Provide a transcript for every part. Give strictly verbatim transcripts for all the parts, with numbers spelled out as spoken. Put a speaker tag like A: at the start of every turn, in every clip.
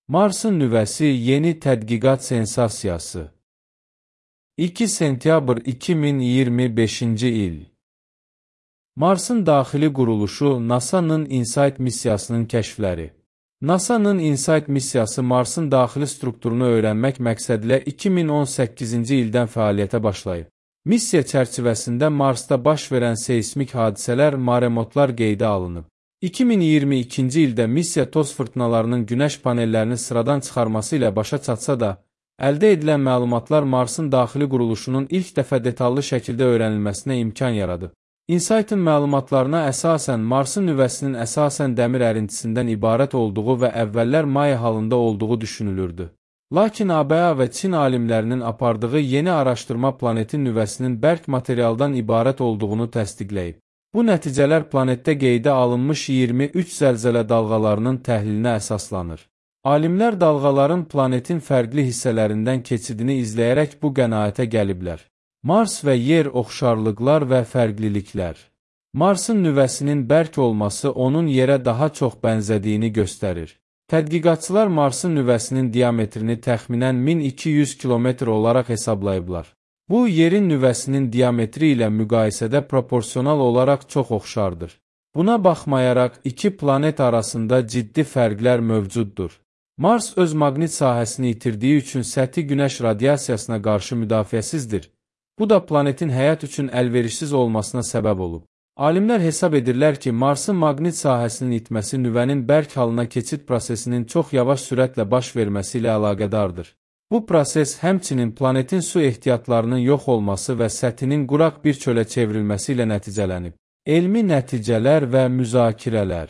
A: Marsın nüvəsi yeni tədqiqat sensasiyası. iki sentyabr iki min iyirmi beşinci il. Marsın daxili quruluşu NASA'nın InSight missiyasının kəşfləri. NASA'nın InSight missiyası Marsın daxili strukturunu öyrənmək məqsədilə iki min on səkkizinci ildən fəaliyyətə başlayıb. Missiya çərçivəsində Marsda baş verən seismik hadisələr, maremotlar qeydə alınıb. iki min iyirmi ikinci ildə missiya toz fırtınalarının günəş panellərini sıradan çıxarması ilə başa çatsa da, əldə edilən məlumatlar Marsın daxili quruluşunun ilk dəfə detallı şəkildə öyrənilməsinə imkan yaradıb. InSight-ın məlumatlarına əsasən Marsın nüvəsinin əsasən dəmir ərintisindən ibarət olduğu və əvvəllər maya halında olduğu düşünülürdü. Lakin A B A və Çin alimlərinin apardığı yeni araşdırma planetin nüvəsinin bərk materialdan ibarət olduğunu təsdiqləyib. Bu nəticələr planetdə qeydə alınmış iyirmi üç zəlzələ dalğalarının təhlilinə əsaslanır. Alimlər dalğaların planetin fərqli hissələrindən keçidini izləyərək bu qənaətə gəliblər. Mars və yer oxşarlıqlar və fərqliliklər. Marsın nüvəsinin bərk olması onun yerə daha çox bənzədiyini göstərir. Tədqiqatçılar Marsın nüvəsinin diametrini təxminən min iki yüz kilometr olaraq hesablayıblar. Bu, yerin nüvəsinin diametri ilə müqayisədə proporsional olaraq çox oxşardır. Buna baxmayaraq, iki planet arasında ciddi fərqlər mövcuddur. Mars öz maqnit sahəsini itirdiyi üçün səthi günəş radiasiyasına qarşı müdafiəsizdir. Bu da planetin həyat üçün əlverişsiz olmasına səbəb olub. Alimlər hesab edirlər ki, Marsın maqnit sahəsinin itməsi nüvənin bərk halına keçid prosesinin çox yavaş sürətlə baş verməsi ilə əlaqədardır. Bu proses həmçinin planetin su ehtiyatlarının yox olması və səthinin quraq bir çölə çevrilməsi ilə nəticələnib. Elmi nəticələr və müzakirələr.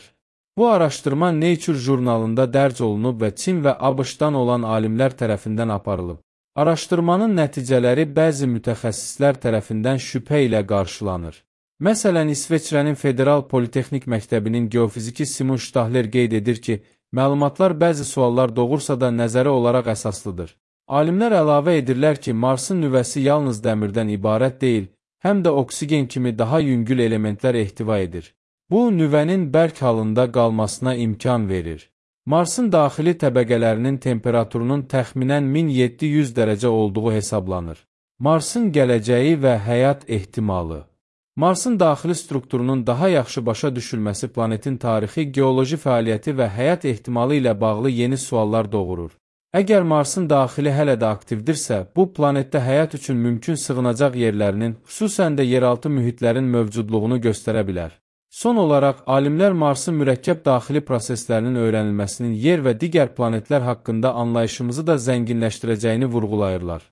A: Bu araşdırma Nature jurnalında dərc olunub və Çin və ABŞ-dan olan alimlər tərəfindən aparılıb. Araşdırmanın nəticələri bəzi mütəxəssislər tərəfindən şübhə ilə qarşılanır. Məsələn, İsveçrənin Federal Politexnik Məktəbinin geofiziki Simon Stahler qeyd edir ki, məlumatlar bəzi suallar doğursa da nəzəri olaraq əsaslıdır. Alimlər əlavə edirlər ki, Marsın nüvəsi yalnız dəmirdən ibarət deyil, həm də oksigen kimi daha yüngül elementlər ehtiva edir. Bu, nüvənin bərk halında qalmasına imkan verir. Marsın daxili təbəqələrinin temperaturunun təxminən min yeddi yüz dərəcə olduğu hesablanır. Marsın gələcəyi və həyat ehtimalı. Marsın daxili strukturunun daha yaxşı başa düşülməsi planetin tarixi, geoloji fəaliyyəti və həyat ehtimalı ilə bağlı yeni suallar doğurur. Əgər Marsın daxili hələ də aktivdirsə, bu planetdə həyat üçün mümkün sığınacaq yerlərinin, xüsusən də yeraltı mühitlərin mövcudluğunu göstərə bilər. Son olaraq, alimlər Marsın mürəkkəb daxili proseslərinin öyrənilməsinin yer və digər planetlər haqqında anlayışımızı da zənginləşdirəcəyini vurğulayırlar.